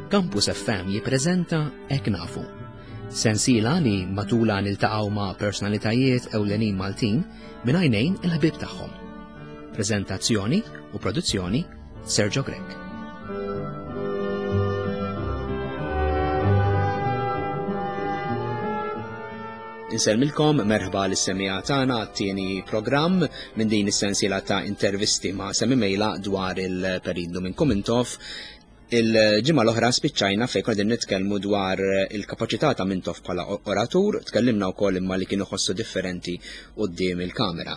Campus FM jippreżenta Hekk Nafu. Sensiela li matulha niltaqgħu ma' personalitajiet ewlenin Maltin minn għajnejn il-ħbieb tagħhom. Preżentazzjoni u produzzjoni Sergio Grech. Insellmilkom merħba lis-semija tagħna għat-tieni programm minn din is-sensiela ta' intervisti ma' Semi Mejla dwar il-periodu minn Kumintoff. Il-ġimgħa l-oħra spiċċajna fejn konna nitkellmu dwar il-kapaċità ta' Mintoff bħala oratur, tkellimna wkoll imma li kienu ħossu differenti quddiem il-kamera.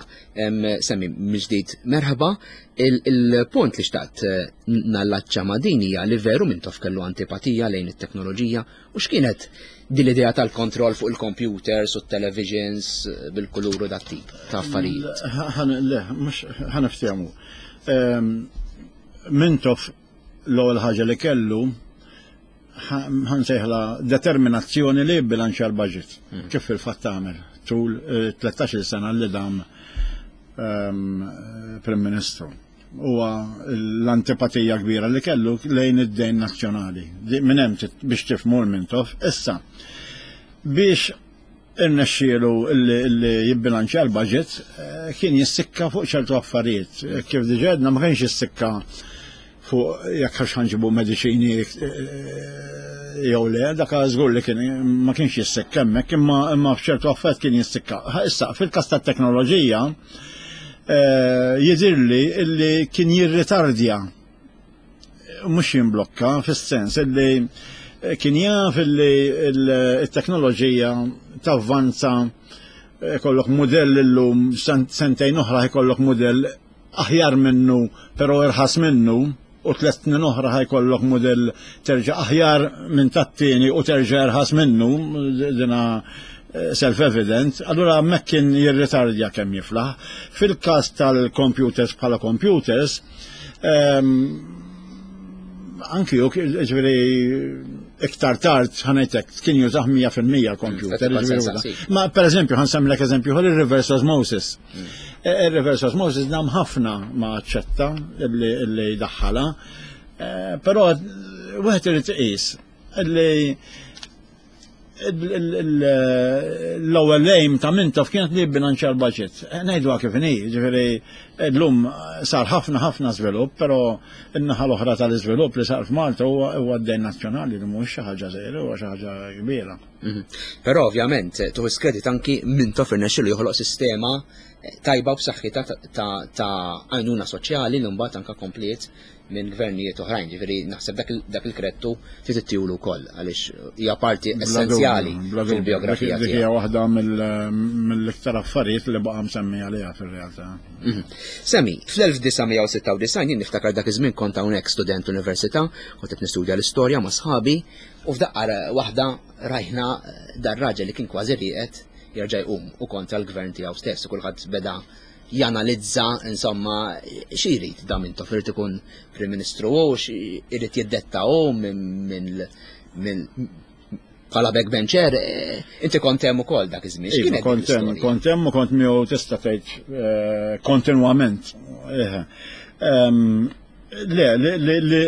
Semmi mill-ġdid merħba, il-punt li xtaqt eh, nallaċċa ma' din hija li veru Mintoff kellu antipatija lejn it-teknoloġija u x'kienet din l-idea tal-kontroll fuq il-computers u t-televisions eh, bil-kulur u dat-tip ta' affarijiet. Le, mhux ħaniftehmu. Mintoff l-ewwel ħaġa li kellu ħansejħla determinazzjoni li jibbilanċja l-budget. Hmm. Kif fil-fatt għamel tul 13 eh, sena li dam ehm, Prim Ministru. Huwa l-antipatija kbira li kellu lejn id-dejn nazzjonali. Minn hemm biex tifhmu l-Mintoff. Issa, biex irnexxielu li jibbilanċja l-budget eh, kien jissikka fuq ċertu affarijiet. Eh, kif diġà għedna ma kienx jissikka fuq jekk għax ħanġibu mediċini eh, jew le, dak żgur li kien ma kienx jissikka hemmhekk imma imma f'ċertu affarijiet kien jissikka. Issa fil-każ tat-teknoloġija jidhirli li kien jirritardja mhux jimblokka fis-sens illi eh, kien jaf illi il-teknoloġija tavvanza eh, kollok mudell illum sentejn oħra jkollok mudell aħjar minnu però irħas minnu u tlet snin oħra ħajkollok mudell terġa' aħjar minn tat-tieni u terġa' irħas minnu dina eh, self-evident, allura hemmhekk kien jirritardja kemm jiflaħ. Fil-każ tal-computers bħala computers, Ehm, anki ju, ġveri, iktar tard ħanajtek, kien jużah 100% computer. Ma per eżempju, ħansemlek eżempju, għal il-reverse osmosis. Mm. E, il-reverse osmosis dam ħafna ma ċetta li daħħala, e, però wieħed irid iqis li l-ewwel aim ta' Mintoff kienet li jibbilanċja l-budget. Eh, ngħidu kif inhi, ġifieri llum sar ħafna ħafna żvilupp, però n-naħa l-oħra tal-iżvilupp li sar f'Malta huwa d-dejn nazzjonali li mhuwiex xi ħaġa żgħira, huwa xi ħaġa kbira. Mhm. Però ovvjament tuħu skredit anki Mintoff irnexxielu joħloq sistema tajba u b'saħħitha ta' għajnuna soċjali li mbagħad anke kompliet minn gvernijiet oħrajn, ġifieri naħseb dak il-krettu trid ittihulu wkoll għaliex hija parti essenzjali fil-biografija tiegħu. Hija waħda mill-iktar affarijiet li baqa' msemmi għaliha fir-realtà. Mhm. Semmi, fl-1996 jien niftakar dak iż-żmien kont hawnhekk student università, kont qed nistudja l-istorja ma' sħabi u f'daqqa waħda rajna dar raġel li kien kważi rieqed jerġa' jqum u kontra l-gvern tiegħu stess u kulħadd beda janalizza insomma xi jrid da Mintoff irid ikun Prim Ministru hu irid jiddetta hu minn bħala backbencher, eh, inti kont hemm ukoll dak iż-żmien. Iva, kont hemm, kont hemm u kont miegħu tista' tgħid eh, kontinwament. Eh, ehm, le, li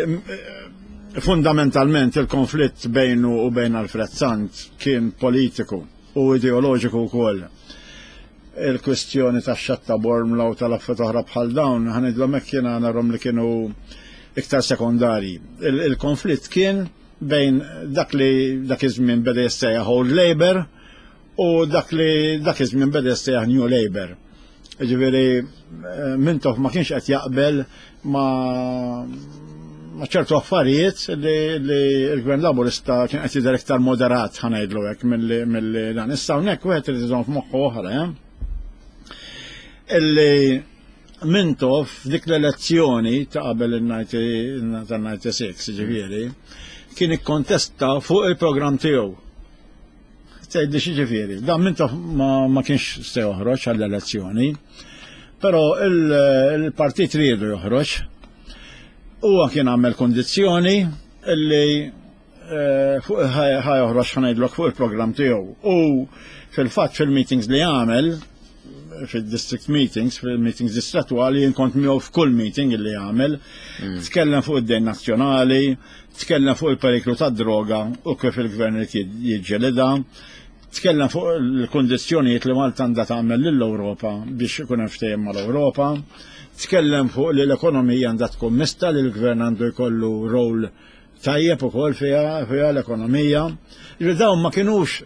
fundamentalment il-konflitt bejnu u bejn Alfred Sant kien politiku u ideoloġiku wkoll. Il-kwistjoni tax-xatt ta' Bormla u tal-affarijiet oħra bħal dawn, ħa ngħidlhom hekk jiena narhom li kienu iktar sekondarji. Il-konflitt kien bejn dak li dak iż-żmien beda jissejjaħ Old Labour u dak li dak iż-żmien beda jissejjaħ New Labour. Ġifieri eh, Mintoff ma kienx qed jaqbel ma' ma' ċertu affarijiet li l-Gvern Laburista kien qed jidher iktar moderat ħa ngħidlu hekk milli dan. Issa hawnhekk wieħed irid iżomm f'moħħu oħra, eh? Illi Mintoff dik l-elezzjoni ta' qabel il-96 ġifieri kien ikkontesta fuq il-programm tiegħu. Tgħidli xi ġifieri, dan Mintoff ma kienx se joħroġ għall-elezzjoni, però il-partit riedu joħroġ. Huwa kien għamel kondizzjoni illi eh, fuq ħa joħroġ ħa ngħidlok fuq il-programm tiegħu. U fil-fatt fil-meetings li għamel. fil-district meetings, fil-meetings distrettuali, jien kont miegħu f'kull meeting li għamel, mm. tkellem fuq id-dejn nazzjonali, tkellem fuq il-periklu tad-droga u kif il-gvern irid jiġġelidha, tkellem fuq il-kundizzjonijiet li Malta għandha tagħmel lill-Ewropa biex ikun hemm ftehim mal-Ewropa, tkellem fuq li l-ekonomija għandha tkun mista li l-gvern għandu jkollu rol tajjeb ukoll fiha fiha l-ekonomija. Ġifieri dawn ma kinux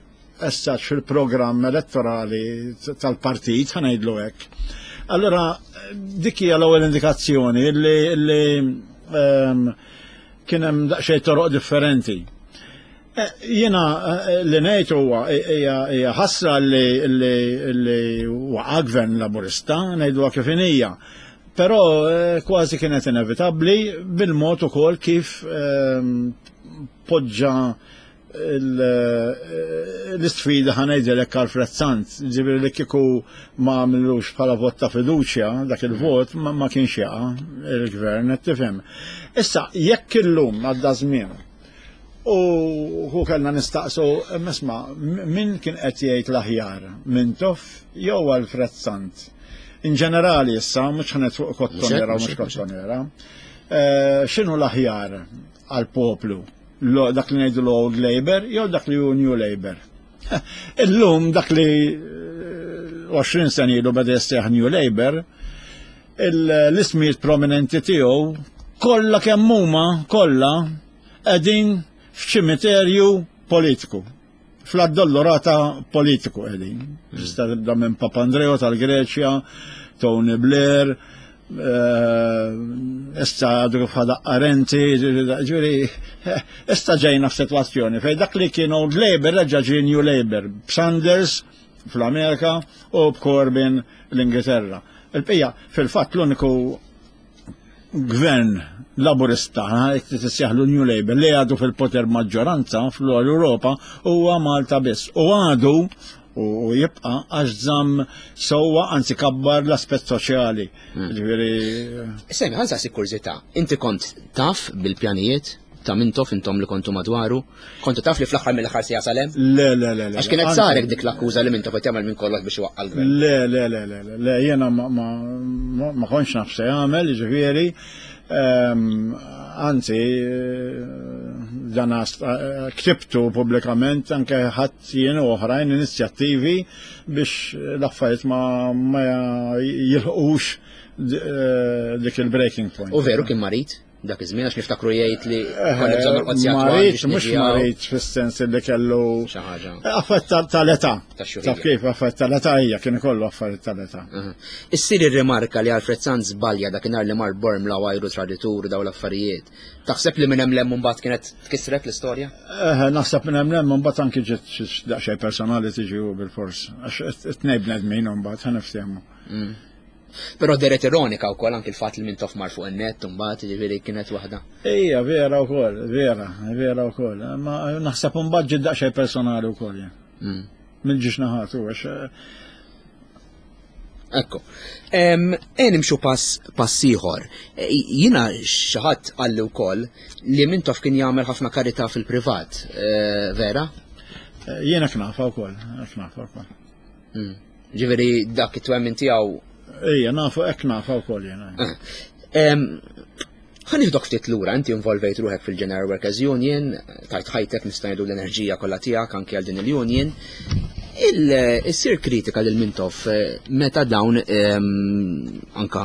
essaċ fil-programm elettorali tal-partit, ħanajdlu hekk. Allora, dik hija l-ewwel indikazzjoni li, li um, kien hemm daqsxejn toroq differenti. Eh, jiena eh, li ngħid huwa hija ħasra li li waqa' gvern Laburista, ngħiduha kif inhija. Però eh, kważi kienet inevitabbli bil-mod ukoll kif ehm, poġġa l-isfida ħanejdilek Alfred Sant, ġifieri li kieku ma għamlux bħala vot ta' fiduċja, dak il-vot ma kienx jaqa' il-gvern, qed tifhem. Issa, jekk illum għadda żmien u hu kellna nistaqsu, isma' min kien qed jgħid l-aħjar, Mintoff jew Alfred Sant? In ġenerali issa, mhux ħanet fuq kottonera u mhux kottonera. Eh, x'inhu l-aħjar għall-poplu? Dak li ngħidu l-Old Labour jew dak li hu New Labour? Illum dak li 20 eh, sena ilu beda jissejjaħ New Labour, l-ismijiet prominenti tiegħu kollha kemm huma kollha qegħdin f'ċimiterju politiku. Fl-addolorata politiku qegħdin. Tista' tibda minn Papandreou tal-Greċja, Tony Blair, eh, issa għadu kif ħadaq Renzi, ġifieri, issa ġejna f'sitwazzjoni fejn dak li kien Old Labour reġa' ġie New Labour, b'Sanders fl-Amerika u b'Corbyn l-Ingilterra. Il-bqija, fil-fatt l-uniku gvern laburista, jekk tissejjaħlu New Labour, li għadu fil-poter maġġoranza fl-Europa huwa Malta biss. U għadu u jibqa għax żamm sewwa anzi kabbar l-aspett soċjali. Hmm. Ġifieri. Semi, ħansa si kurżità, inti kont taf bil-pjanijiet ta' Mintoff intom li kontu madwaru? Kontu taf li fl-aħħar mill-aħħar se jasal hemm? Le, le, le, le. Għax kienet sarek dik l-akkuża li Mintoff qed jagħmel minn kollox biex iwaqqa' l-gvern. Le, le, le, le, le, le, jiena ma, ma, ma kontx naf se jagħmel, jiġifieri, ehm, anzi, dan eh, ktibtu pubblikament anke ħadd jien u oħrajn inizjattivi biex l-affarijiet ma, ma jilħqux eh, dik il-breaking point. U veru kien marid? dak iż-żmien għax niftakru jgħid li eh, konna bżonn norqod sigħat Marid, mhux marid fis-sens li kellu xi ħaġa. Eh, affett tal-età. Taf kif affett tal-età hija kien ikollu affarijiet tal-età. Issir ir-rimarka li Alfred Sanz żbalja dakinhar li mar Bormla għajru traditur daw l-affarijiet. Taħseb li minn hemm lem mbagħad kienet tkissret l-istorja? Eh, naħseb minn hemm lem mbagħad anki ġiet daqsxejn personali tiġi bil-fors. Għax it-tnejn bnedmin mbagħad ħa niftehmu. Mm. Però deret ironika wkoll anki l-fatt li Mintoff mar fuq in-net imbagħad, jiġifieri kienet waħda. Ejja, vera wkoll, vera, vera wkoll. Ma naħseb imbagħad ġiet daqsxejn personali wkoll. Mm. Mill-ġiex naħat u għax. Eh, Ekku. E nimxu pass pass ieħor. E, jiena xi ħadd qalli wkoll li Mintoff kien jagħmel ħafna karità fil-privat, e, vera? Jiena knafa wkoll, knafa wkoll. Mm. Ġifieri dak it-twemmin tiegħu. Ejja, nafu hekk nafa wkoll jiena. Eh. Ħa nieħdok ftit lura, inti involvejt ruħek fil-General Workers Union, tajt ħajtek nista' ngħidu l-enerġija kollha tiegħek anke għal din il-union. Il-sir kritika lil Mintoff eh, meta dawn anka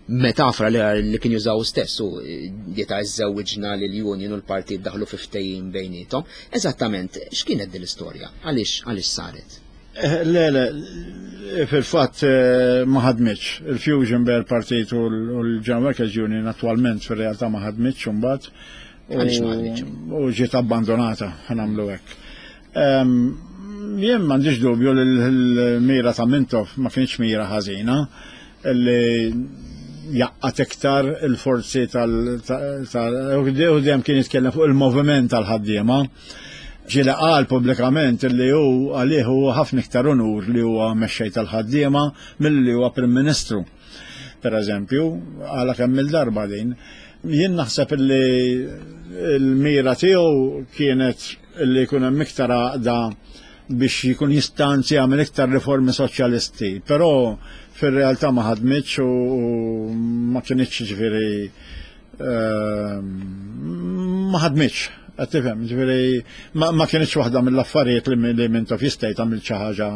metafra li kien jużaw stess u eh, dieta iżżewwiġna lil union u l-partit daħlu fi ftehim bejniethom. Eżattament, x'kienet din l-istorja? Għaliex għaliex saret? Eh, le, le, fil-fatt eh, ma ħadmitx. Il-fusion bejn il-partit u l-General Workers Union attualment fil-realtà ma ħadmitx imbagħad. Għaliex ma ħadmitx? U ġiet abbandonata, ħanamlu hekk. Ehm, jien m'għandix dubju li l-mira ta' Mintoff ma kienx mira ħażina li jaqqat iktar il-forzi tal- u dejjem kien jitkellem fuq il-moviment tal-ħaddiema. Ġieli qal pubblikament li hu għalih huwa ħafna iktar unur li huwa mexxej tal-ħaddiema milli huwa Prim Ministru. Per eżempju, għala kemm il-darba din. Jien naħseb li l-mira tiegħu kienet li jkun hemm iktar għaqda biex jkun jista' anzi jagħmel iktar riformi soċjalisti, però fir-realtà ma ħadmitx u ma kinitx ġifieri ehm, ma ħadmitx qed tifhem, ġifieri ma kinitx waħda mill-affarijiet li Mintoff jista' jagħmel xi ħaġa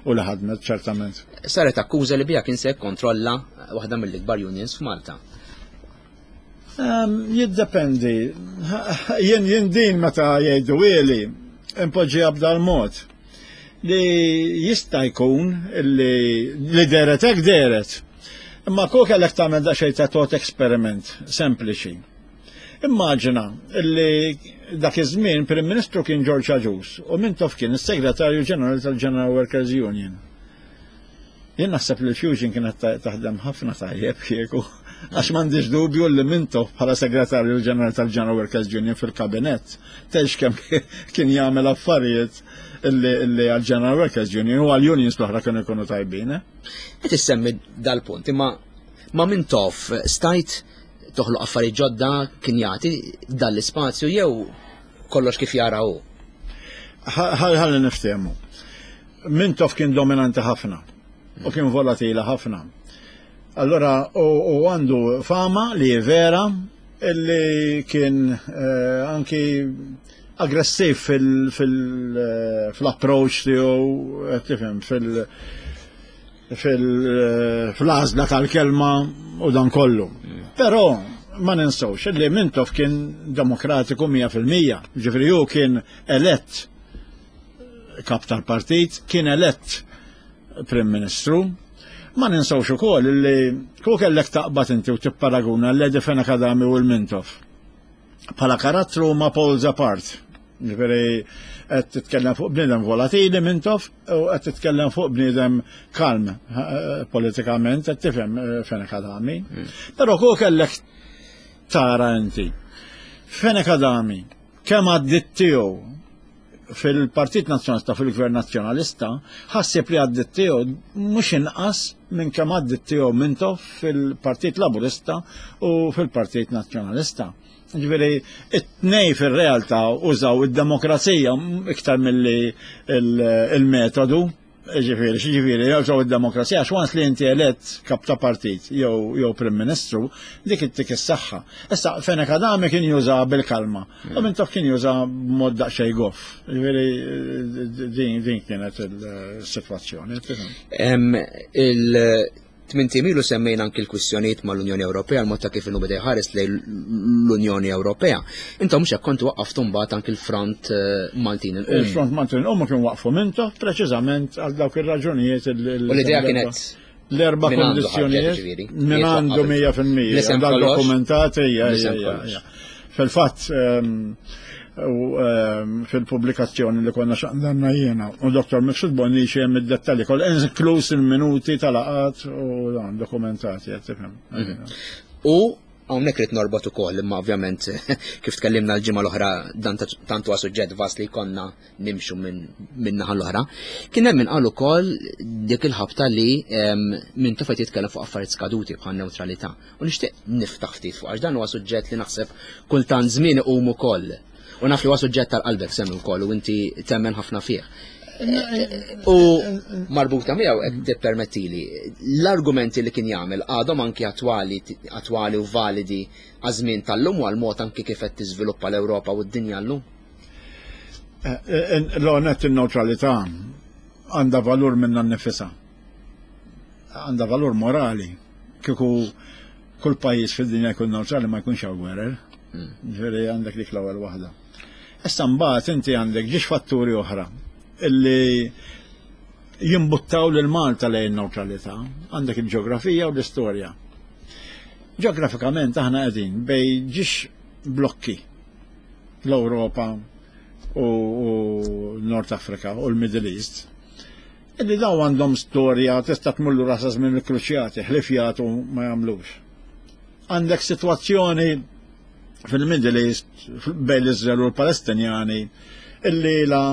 u li ħadmet ċertament. Saret akkuża li biha kien se jikkontrolla waħda mill-ikbar unions f'Malta. Ehm, jiddependi. Jien jien din meta jgħidu ili, impoġġiha b'dal-mod li jista' jkun li li deret hekk deret. Imma kol kellek tagħmel daqsxejn ta' tot eksperiment sempliċi. Immaġina li dak iż-żmien Prim Ministru kien George Agius u Mintoff kien is-Segretarju Ġenerali tal-General Workers Union. Jien naħseb li l-fusion kienet taħdem ħafna tajjeb kieku, għax m'għandix dubju li Mintoff bħala segretarju ġenerali tal-General Workers Union fil-kabinett, tgħix kemm kien jagħmel affarijiet li għal-General Workers Union u għal-unions l-oħra kienu jkunu tajbin. Eh? Qed issemmi dal-punt, imma ma Mintoff stajt toħloq affarijiet ġodda kien jagħti dan l-ispazju jew kollox kif jara hu? Ħalli niftehmu. Mintoff kien dominanti ħafna u kien volatili ħafna. Allora, u għandu fama li vera illi kien eh, anki aggressiv fil-approach eh, tiegħu, eh, tifhem, fil- fil-għażla tal-kelma u dan kollu. Però ma ninsewx li Mintoff kien demokratiku 100%, ġifieri hu kien elett kap tal-partit, kien elett Prim Ministru. Ma ninsawx ukoll li ku kellek taqbad inti u tipparaguna l-Lady Fenech Adami u l-Mintoff. Bħala karattru ma poles apart. Ġifieri qed titkellem fuq bniedem volatili Mintoff u qed titkellem fuq bniedem kalm eh, politikament qed tifhem eh, Fenech Adami. Mm. Però ku kellek tara inti. Fenech Adami kemm għaddit tiegħu fil-Partit Nazzjonalista fil-Gvern Nazzjonalista ħassib li għaddit tiegħu mhux inqas minn kemm għaddit tiegħu Mintoff fil-Partit Laburista u fil-Partit Nazzjonalista. Ġifieri it-tnej fir-realtà użaw id-demokrazija iktar milli il-metodu. Ġifieri, ġifieri, jużaw id-demokrazija għax once li inti elett kap ta' partit jew jew Prim Ministru, dik ittik is-saħħa. Issa Fenech Adami kien juża bil-kalma u Mintoff kien juża b'mod daqsxejn goff. Ġifieri din din kienet il-sitwazzjoni. Tmint ijiem ilu semmejna anki l-kwistjonijiet mal-Unjoni Ewropea, l-mod ta' kif inhu beda jħares lejn l-Unjoni Ewropea. Intom mhux hekk kontu waqqaftu mbagħad anki l-Front eh, Maltin il Il-Front Maltin il kien waqfu mintoff preċiżament għal dawk ir-raġunijiet. U l-idea kienet l-erba' kondizzjonijiet minn għandu 100% dal dokumentati Fil-fatt ehm, u ehm, fil-pubblikazzjoni li konna xaqdanna jiena u Dr. Mifsud Bonnici hemm id-dettalji kollha inkluż il-minuti tal-laqat u dan dokumentati qed tifhem. Mhm. U hawnhekk rid norbot ukoll imma ovvjament kif tkellimna l-ġimgħa l-oħra dan tant huwa suġġett vast li jkollna nimxu minn naħa l-oħra. Kien hemm min qal ukoll dik il-ħabta li ehm, minn tofet jitkellem fuq affarijiet skaduti bħal neutralità. U nixtieq niftaħ ftit fuq għax dan huwa suġġett li naħseb kultant żmien iqum ukoll. U naf li huwa suġġett tal-qalbek semmi wkoll u inti temmen ħafna fih. U marbuta miegħu qed tippermettili l-argumenti li kien jagħmel għadhom anki attwali attwali u validi għaż-żmien tal-lum u għal-mod anki kif qed tiżviluppa l-Ewropa u d-dinja llum. Eh, eh, l-għonet il-neutralità għandha valur minna nnifisha. Għandha valur morali. Kieku kull pajjiż fid-dinja jkun neutrali ma jkunx hawn gwerer. Hmm. Ġifieri għandek dik l-ewwel waħda. Issa mbagħad inti għandek ġiex fatturi oħra illi jimbuttaw lil Malta lejn neutralità. Għandek il-ġeografija u l-istorja. Ġeografikament aħna qegħdin bej ġiex blokki l-Ewropa u Nord Afrika u l-Middle East. Illi daw għandhom storja tista' tmur lura sa żmien il-kruċjati, ħlief jagħtu ma jagħmlux. Għandek sitwazzjoni fil-Middle East bejn l-Iżrael u l-Palestinjani illi la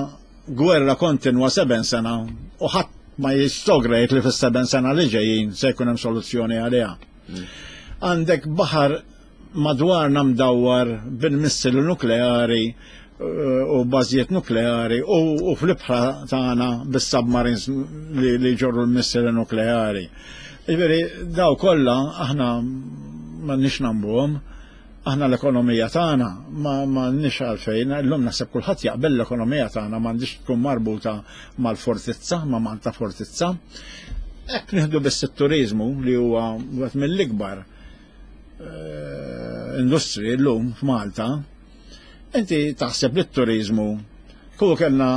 gwerra kontinwa seben sena u ħadd ma jistogra jgħid li fis-seben sena li ġejjin se jkun hemm soluzzjoni għaliha. Mm. Għandek baħar madwarna mdawwar bil-missili nukleari u bażijiet nukleari u fl-ibħra tagħna bis-submarines li jġorru l-missili nukleari. Jiġifieri daw kollha aħna m'għandniex nagħmluhom. Aħna l-ekonomija tagħna ma m'għandniex għalfejn, illum naħseb kulħadd jaqbel l-ekonomija tagħna m'għandix tkun marbuta mal-fortizza, ma' Malta fortizza. Hekk nieħdu biss it-turiżmu li huwa wieħed mill-ikbar eh, industri llum f'Malta, Inti taħseb li t-turiżmu kieku kellna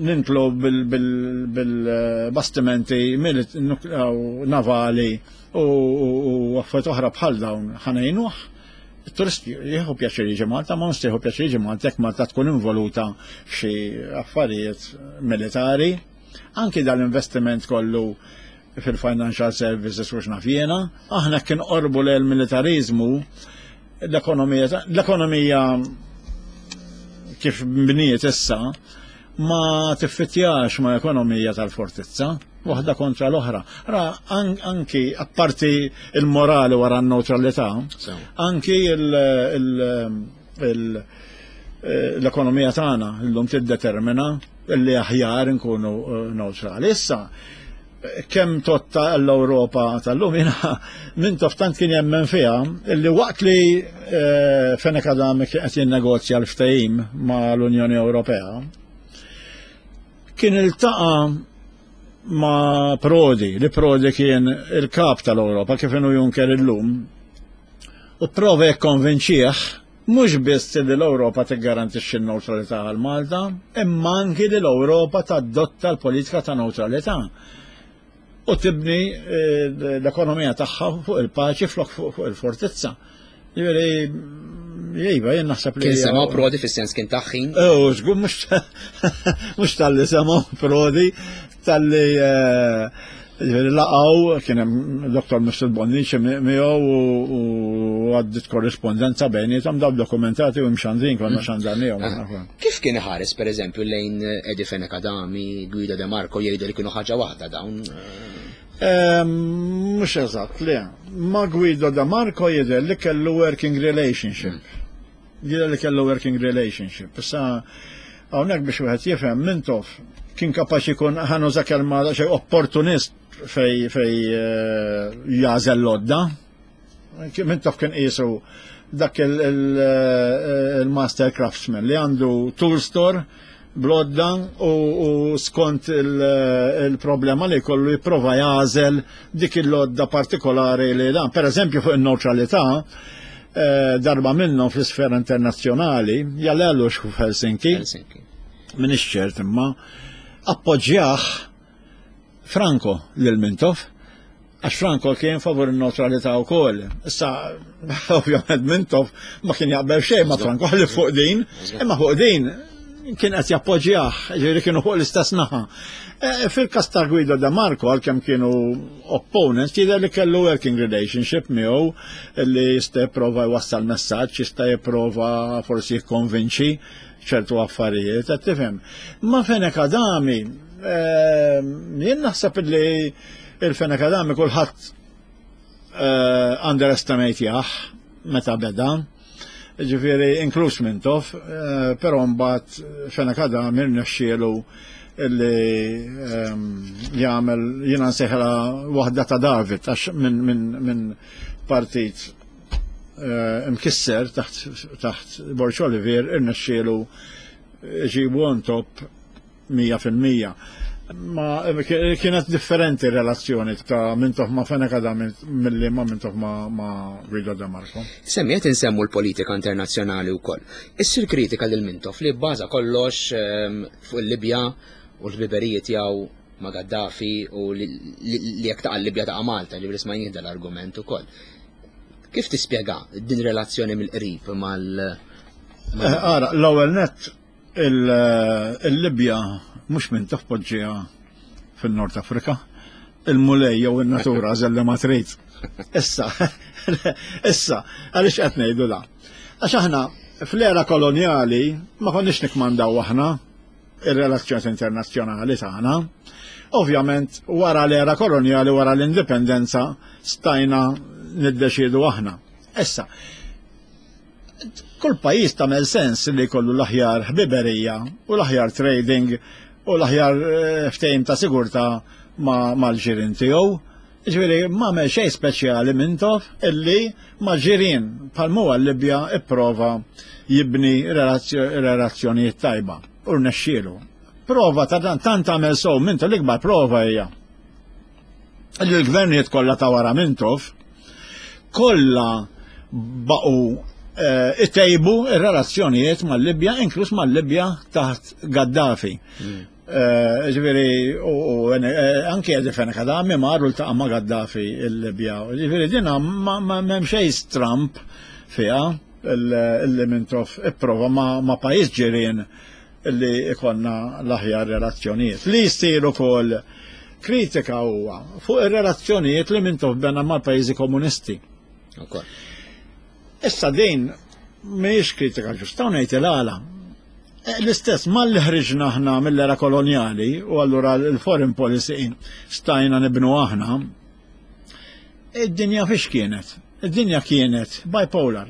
nintlu bil-bastimenti navali u affarijiet oħra bħal dawn ħanejnuh. Il-turist jieħu pjaċir jiġi Malta, ma mhux jieħu pjaċir jiġi Malta jekk Malta tkun involuta f'xi affarijiet militari. Anki dal-investiment kollu fil-financial services u x'naf jiena, aħna kien qorbu lejn militarizmu l-ekonomija l-ekonomija kif bniet issa ma tiffittjax ma ekonomija tal-fortizza, waħda kontra l-oħra. Ra anki apparti il-morali wara n-neutralità, anki l-ekonomija tagħna llum tiddetermina li aħjar nkunu eh, neutrali. Issa, kemm totta l-Ewropa tal-lum jiena Mintoff tant kien jemmen fiha illi waqt li eh, Fenech Adami qed jinnegozja l-ftehim ma' l-Unjoni Ewropea kien iltaqa' ma' Prodi, li Prodi kien il-kap tal-Ewropa kif inhu Juncker illum, u prova jikkonvinċih mhux biss li l-Ewropa tiggarantixxi n-newtralità għal Malta, imma anki li l-Ewropa tadotta l-politika ta' newtralità u tibni eh, l-ekonomija tagħha fuq il-paċi flok fuq il-fortizza. Jiġifieri, Iva, jien naħseb li. Kien sema prodi fis-sens kien taħħin. Oh, żgur mhux tal-li sema prodi, tal-li eh, Ġifieri laqgħu kien hemm Dr. Mr. Bonnici miegħu u għaddit korrispondenza bejnietom daw dokumentati u mxandrin konna mm. xandarnihom. Ah, kif kien iħares pereżempju lejn Eddie Fenech Adami, Guido De Marco jgħidu li kienu ħaġa waħda dawn? Mhux eżatt, le. Ma Guido De Marco jidher li kellu working relationship. Mm. Jidher li kellu working relationship. Issa hawnhekk biex wieħed jifhem Mintoff kien kapaċi jkun ħanuża kelma xi opportunist fej fej eh, jażel lodda. Mintoff kien qisu dak eh, il-master craftsman li għandu tool store blodda u skont il-problema li kollu jipprova jażel dik il-lodda partikolari li dan. Per eżempju fuq il-neutralità, eh, darba minnhom fl-isfera internazzjonali, jalelu f'Helsinki, minn ċert imma, appoġġjah Franco lil Mintoff, għax Franco kien favur il-neutralità wkoll. Issa, ovvjament Mintoff ma kien jaqbel xejn ma' Franco ħalli fuq din, imma fuq din kien qed jappoġġjah, ġifieri kienu fuq l-istess naħa. E, fil-każ ta' Guido De Marco għalkemm kienu opponents, jidher li kellu working relationship miegħu li jista' jipprova jwassal messaġġ, jista' jipprova forsi jikkonvinċi ċertu affarijiet, qed tifhem. Ma Fenech Adami, ehm, jien naħseb li il-Fenech Adami kulħadd eh, underestimate jah meta beda. Ġifieri inkluż Mintoff, eh, però mbagħad Fenech Adami rnexxielu illi ehm, jagħmel jiena nsejħla waħda ta' David għax minn min, min partit Eh, imkisser taħt taħt Borg Olivier irnexxielu ġibu on top 100%. Ma kienet differenti relazzjoni ta' Mintoff ma' Fenech Adami milli ma' Mintoff ma', ma Guido De Marco. Semmiet insemmu l-politika internazzjonali wkoll. Issir kritika lil Mintoff li bbaża kollox ehm, fuq il-Libja u l-ħbiberiji tiegħu ma' Gaddafi u li jekk taqa' Libja taqa' Malta, ġifieri smajnih dal-argument ukoll. Kif tispjega din relazzjoni mill-qrib mal eh, Ara, l-ewwel nett il-Libja mhux minn tafpoġġiha fin-Nord Afrika, il-mulej jew in-natura għażel li ma trid. Issa, issa, għaliex qed ngħidu da? Għax aħna fl-era kolonjali ma konniex nikmandaw aħna ir-relazzjoni internazzjonali tagħna. Ovvjament wara l-era kolonjali, wara l-indipendenza, stajna niddeċiedu aħna. Issa, Kull pajjiż tagħmel sens li jkollu l-aħjar ħbiberija u l-aħjar trading u l-aħjar eh, ftehim ta' sigurtà mal-ġirien tiegħu. Ġifieri m'għamel xejn speċjali Mintoff illi ma' ġirien bħal huwa l-Libja ipprova jibni relazzjonijiet tajba u rnexxielu. Prova ta' dan tant għamel sew Mintoff l-ikbar prova hija li l-gvernijiet kollha ta' wara Mintoff kollha baqgħu eh, itejbu ir-relazzjonijiet mal-Libja, inkluż mal-Libja taħt Gaddafi. Mm. Eh, ġifieri, u eh, anke Eddie Fenech Adami mar u ltaqa' ma' Gaddafi il-Libja. Ġifieri dina ma m'hemm xejn stramb fiha illi Mintoff ipprova ma' pajjiż ġirien li ikonna l-aħjar relazzjonijiet. Li jsir ukoll kritika huwa fuq ir-relazzjonijiet li Mintoff bena mal-pajjiżi komunisti. Issa din mhijiex kritika ġusta u ngħid il-għala. Eh, l-istess malli ħriġna aħna mill-era kolonjali u allura l-foreign policy stajna nibnu aħna, id-dinja fiex kienet? Id-dinja kienet bipolar.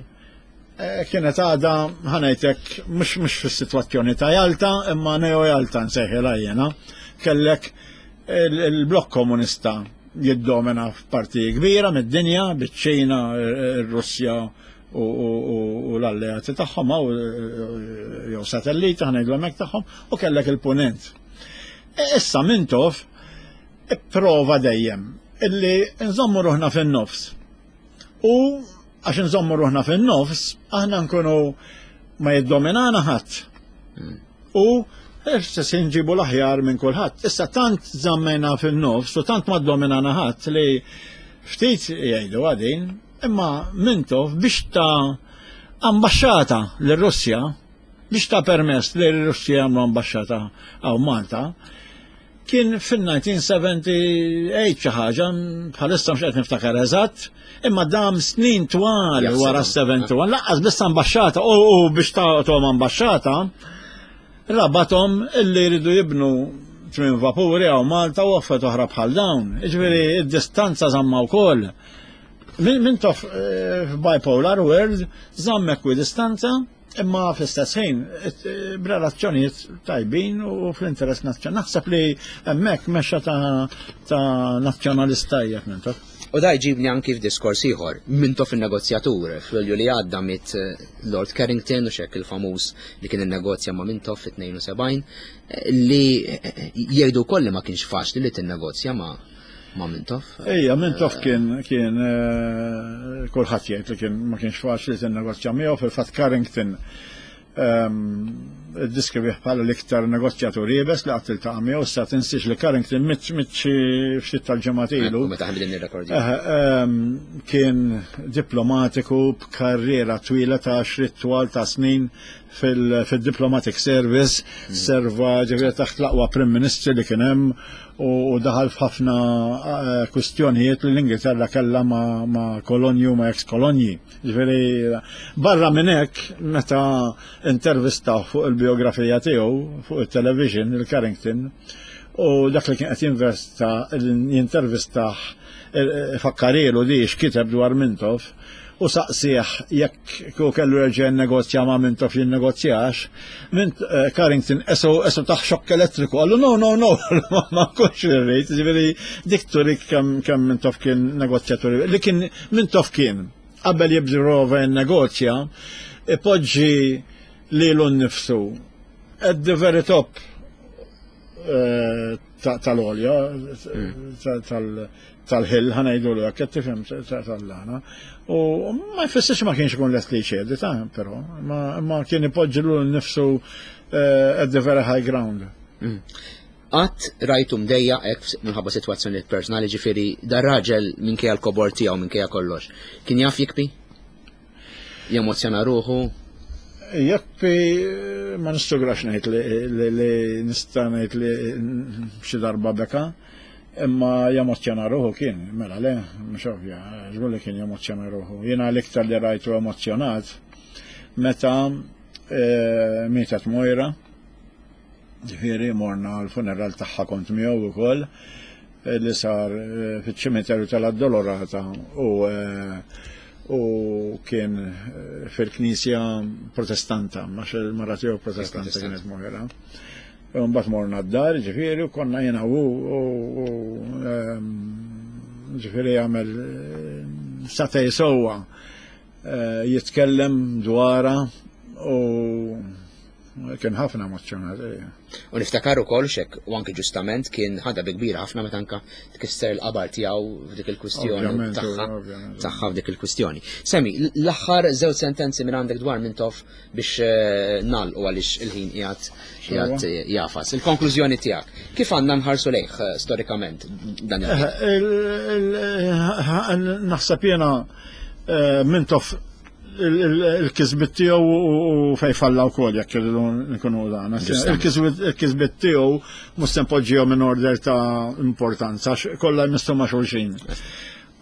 Eh, kienet għada ħanajtek mhux mhux fis-sitwazzjoni ta' Jalta imma neo Jalta nsejħilha jiena. Kellek il-blokk komunista jiddomina f'parti kbira mid-dinja, biċ-Ċina, ir-Russja u l-alleati tagħhom jew satelliti ħa hekk tagħhom u kellek il-punent. E, issa Mintoff prova dejjem illi nżommu ruħna fin-nofs. U għax nżommu ruħna fin-nofs, aħna nkunu ma jiddominana ħadd. Hmm. U se nġibu l-aħjar minn kulħadd. Issa tant żammejna fin-nofs u tant ma ddominana ħadd li ftit jgħidu għadin, imma Mintoff biex ta' ambaxxata lir-Russja, biex ta' permess li r-Russja jagħmlu ambaxxata hawn Malta, kien fil-1978 xi ħaġa, bħalissa mhux qed niftakar eżatt, imma dam snin twal wara 71, laqqas biss ambaxxata u biex tagħtuhom ambaxxata, rabathom illi jridu jibnu tmien vapuri hawn Malta u affarijiet oħra bħal dawn. Jiġifieri id-distanza żamma wkoll. Mintoff eh, f'bipolar world żamm ekwidistanza imma fl-istess ħin eh, b'relazzjonijiet tajbin u fl-interess nazzjonali. Naħseb li hemmhekk mexxa ta' nazzjonalista tajjeb Mintoff. U da jġibni anki f'diskors ieħor, Mintoff in-negozjatur, f'Lulju li għadda miet eh, Lord Carrington u xek il-famuż li kien innegozja ma' Mintoff fit-72, li jgħidu wkoll li ma kienx faċli li tinnegozja ma' ma' Mintoff. Ejja, Mintoff kien kien eh, kulħadd jgħid li kien ma kienx faċli tinnegozja miegħu fil-fatt Carrington ehm, iddiskrivih bħala l-iktar negozjatur iebes li qatt iltaqa' miegħu issa tinsiex li Carrington mitt mitt xi ftit tal-ġimgħat ilu. Meta ħan bidin nirrekordja. Eh, ehm, kien diplomatiku b'karriera twila ta' xrit twal ta' snin fil-Diplomatic Service, hmm. serva ġifieri taħt l-aqwa Prim Ministri li kien hemm u daħal f'ħafna eh, kwistjonijiet li l-Ingilterra kellha ma' kolonji u ma' ex-kolonji. Ġifieri barra minn hekk meta intervista fuq il-biografija tiegħu fuq il-television il-Carrington u dak li kien qed jinvesta jintervistah eh, fakkarilu di x'kiteb dwar Mintoff u saqsih jekk kieku kellu jerġa' jinnegozja ma' Mintoff jinnegozjax, Mint eh, Carrington esu esu taħ xokk elettriku, qallu no, no, no, ma nkunx irrid, ġifieri dik turik kemm kemm Mintoff kien negozjatur, li kien Mintoff kien qabel jibżrova jinnegozja, ipoġġi lilu nnifsu at the very top eh, tal-olja, mm. tal-ħil, ħanajdu l qed tifhem tal-lana. U ma jfissirx ma kienx ikun lest li jċedi ta' però, ma kien ipoġġi l nifsu eh, at the very high ground. Mm. Qatt rajtu mdejja hekk minħabba sitwazzjonijiet personali ġifieri dar raġel minkejja l-kobor tiegħu minkejja kollox. Kien jaf jikbi? Jemozzjona ruħu? Jekk ma nistugrax ngħid li nista' ngħid li xi darba beka, imma jemozzjona ruħu kien, mela le, mhux ovvja, żgur li kien jemozzjona ruħu. Jiena l-iktar li rajtu emozzjonat meta eh, mietet Mojra, ġifieri morna l-funeral tagħha kont miegħu ukoll eh, li sar eh, fiċ-ċimiterju tal-Addolorata u eh, U kien fil-knisja protestanta, ma il-mara tiegħu protestanta kienet moħera. Mbagħad morna d-dar, ġifieri, u konna jiena u ehm, ġifieri jagħmel eh, satej sewwa eh, jitkellem dwarha u kien ħafna emozzjonat. Eh. U niftakar ukoll xek u anke ġustament kien ħadha bi kbira ħafna meta anka tkisser il-qabar tiegħu f'dik il-kwistjoni tagħha tagħha f'dik il-kwistjoni. Semi, l-aħħar żewġ sentenzi minn għandek dwar Mintoff biex eh, nagħlqu għaliex il-ħin qiegħed qiegħed eh, jafas. Il-konklużjoni tiegħek, kif għandna nħarsu lejh eh, storikament dan il Naħseb jiena Mintoff il-kisbit tiegħu u fej falla wkoll jekk irridu nkunu dan. Il-kisbit tiegħu mhux se npoġġihom in order ta' importanza kollha jmissu ma' xulxin.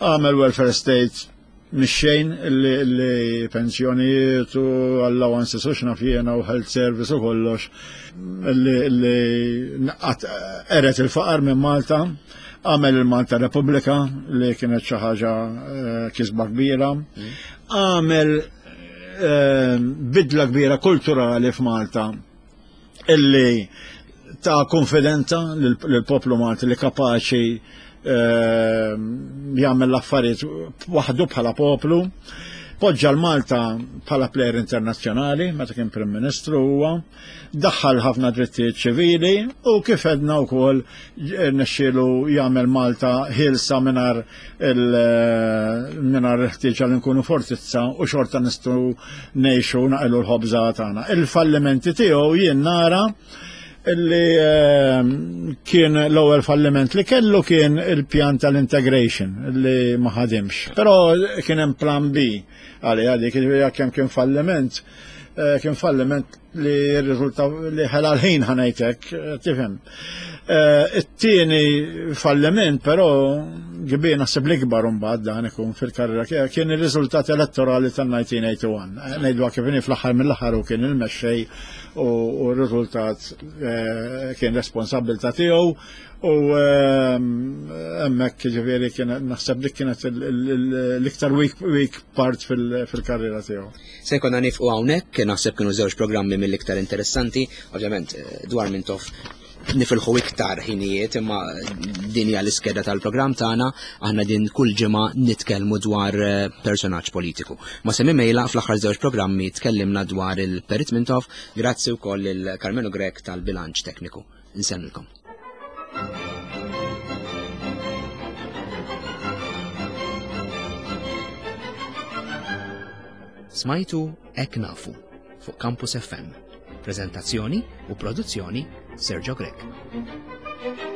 Għamel welfare state mix-xejn li pensjonijiet u allowances u x'naf jiena u health service u kollox li eret il-faqar minn Malta għamel il-Malta Repubblika li kienet xi ħaġa eh, kisba kbira, mm. għamel eh, bidla kbira kulturali f'Malta illi ta' konfidenza lill-poplu Malti li kapaċi eh, jagħmel l-affarijiet waħdu bħala poplu. Poġġa l-Malta bħala plejer internazzjonali meta kien Prim Ministru huwa, daħħal ħafna drittijiet ċivili u kif edna wkoll nexxielu jagħmel Malta ħielsa mingħajr mingħajr il-ħtieġa li nkunu fortizza u xorta nistgħu ngħixu naqelu l-ħobża tagħna. Il-fallimenti tiegħu jien nara illi ehm, kien l-ewwel falliment li kellu kien il-pjan tal-integration li ma ħadimx. Però kien hemm plan B għalija dik kemm kien falliment, eh, kien falliment li rriżulta li ħela l-ħin ħanajtek, eh, tifhem. Eh, it-tieni falliment però kbir naħseb l-ikbar imbagħad dan ikun fil-karriera kien ir-riżultat elettorali tal-1981. Eh, ngħidu kif inhi fl-aħħar mill-aħħar u kien il-mexxej u r-riżultat kien responsabbilta tiegħu U ehm, hemmhekk ġifieri kien naħseb dik kienet l-iktar weak part fil-karriera tiegħu. Se jkollna nifqu hawnhekk, naħseb kienu żewġ programmi mill-iktar interessanti, ovvjament eh, dwar Mintoff nifilħu iktar ħinijiet imma din hija l-iskeda tal-programm tagħna aħna din kull ġimgħa nitkellmu dwar eh, personaġġ politiku. Ma semmi mejla fl-aħħar żewġ programmi tkellimna dwar il-Perit Mintoff, grazzi wkoll il Karmenu Grek tal-bilanċ tekniku. Insellmilkom. Smajtu Ek Nafu fuq Campus FM. Prezentazzjoni u produzzjoni Sergio Grech.